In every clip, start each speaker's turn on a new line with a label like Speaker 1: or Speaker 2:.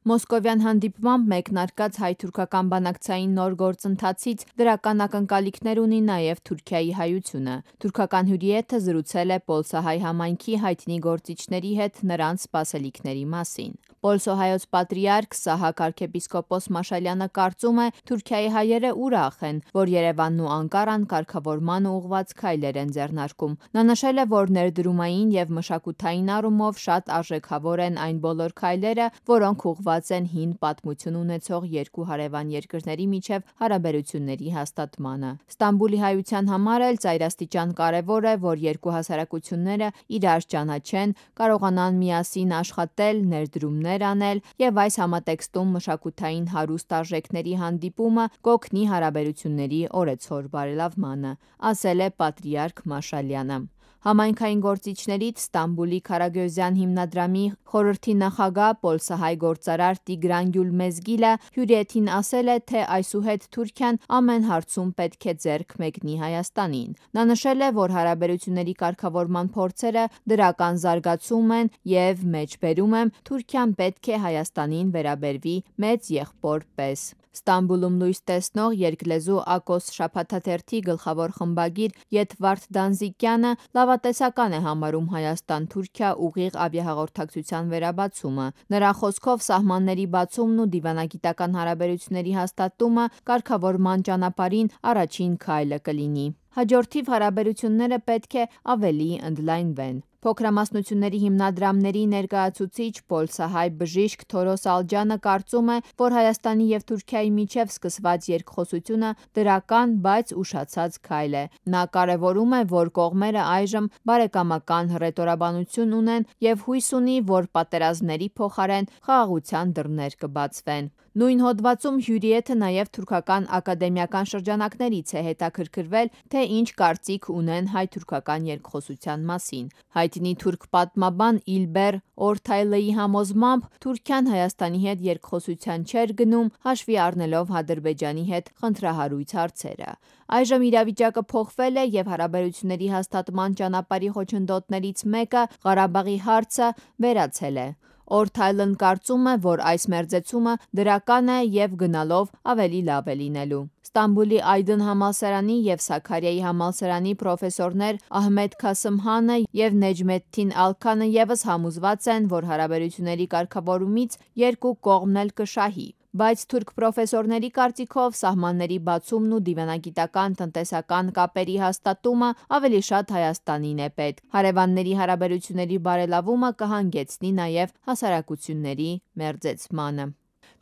Speaker 1: Մոսկովյան հանդիպմամբ մեկնարկած հայ-թուրքական բանակցային նոր գործընթացից դրական ակնկալիքներ ունի նաև Թուրքիայի հայությունը։ Թուրքական հյուրիեթը զրուցել է պոլսահայ համայնքի հայտնի գործիչների հետ նրանց սպասելիքների մասին։ Պոլսոհայոց պատրիարք Սահակ arczepiskopos Մաշալյանը կարծում է, Թուրքիայի հայերը ուրախ են, որ Երևանն ու Անկարան կարգավորմանը ուղղված քայլեր են ձեռնարկում։ Նա նշել է, որ ներդրումային և մշակութային առումով շատ արժեքավոր են այն բոլոր քայլերը, որոնք ուղղված են հին պատմություն ունեցող երկու հարևան երկրների միջև հարաբերությունների հաստատմանը։ Ստամբուլի հայության համար էլ ծայրաստիճան կարևոր է, որ երկու հասարակությունները իրար ճանաչեն, կարողանան միասին աշխատել, ներդրումներ անել և այս համատեքստում մշակութային հարուստ արժեքների հանդիպումը կօգնի հարաբերությունների օրեցօր բարելավմանը, ասել է պատրիարք Մաշալյանը։ Համայնքային գործիչներից Ստամբուլի Քարագյոզյան հիմնադրամի խորհրդի նախագահ պոլսահայ գործարար Տիգրան Գյուլմեզգիլը հյուրիեթին ասել է, թե այսուհետ Թուրքիան ամեն հարցում պետք է ձեռք մեկնի Հայաստանին։ Նա նշել է, որ հարաբերությունների կարգավորման փորձերը դրական զարգացում են և մեջբերում եմ, Թուրքիան պետք է Հայաստանին վերաբերվի մեծ եղբոր պես։ Ստամբուլում լույս տեսնող երկլեզու Ակոս շաբաթաթերթի գլխավոր խմբագիր Եթվարդ Դանզիկյանը լավատեսական է համարում Հայաստան-Թուրքիա ուղիղ ավիահաղորդակցության վերաբացումը։ Նրա խոսքով սահմանների բացումն ու դիվանագիտական հարաբերությունների հաստատումը կարգավորման ճանապարհին առաջին քայլը կլինի։ Հաջորդիվ հարաբերությունները պետք է ավելի ընդլայնվեն։ Փոքրամասնությունների հիմնադրամների ներկայացուցիչ պոլսահայ բժիշկ Թորոս Ալջյանը կարծում է, որ Հայաստանի և Թուրքիայի միջև սկսված երկխոսությունը դրական, բայց ուշացած քայլ է։ Նա կարևորում է, որ կողմերը այժմ բարեկամական հռետորաբանություն ունեն և հույս ունի, որ պատերազմների փոխարեն խաղաղության դռներ կբացվեն։ Նույն հոդվածում հյուրիեթը նաև թուրքական ակադեմիական շրջանակներից է հետաքրքրվել, թե ինչ կարծիք ունեն հայ-թուրքական երկխոսության մասին։ Հայտնի թուրք պատմաբան Իլբեր Օրթայլեի համոզմամբ Թուրքիան Հայաստանի հետ երկխոսության չէր գնում, հաշվի առնելով Ադրբեջանի հետ խնդրահարույց հարցերը։ Այժմ իրավիճակը փոխվել է և հարաբերությունների հաստատման ճանապարհի խոչընդոտներից մեկը Ղարաբաղի հարցը վերացել է։ Օրթայլն կարծում է, որ այս մերձեցումը դրական է և գնալով ավելի լավ է լինելու։ Ստամբուլի Այդն համալսարանի և Սաքարիայի համալսարանի պրոֆեսորներ Ահմեդ Քասըմհանը և Նեջմեդդին Ալքանը ևս համոզված են, որ հարաբերությունների կարգավորումից երկու կողմն էլ կշահի։ Բայց թուրք պրոֆեսորների կարծիքով սահմանների բացումն ու դիվանագիտական տնտեսական կապերի հաստատումը ավելի շատ Հայաստանին է պետք։ Հարևանների հարաբերությունների բարելավումը կհանգեցնի նաև հասարակությունների մերձեցմանը։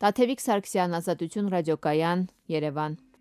Speaker 1: Տաթևիկ Սարգսյան, Ազատություն ռադիոկայան, Երևան։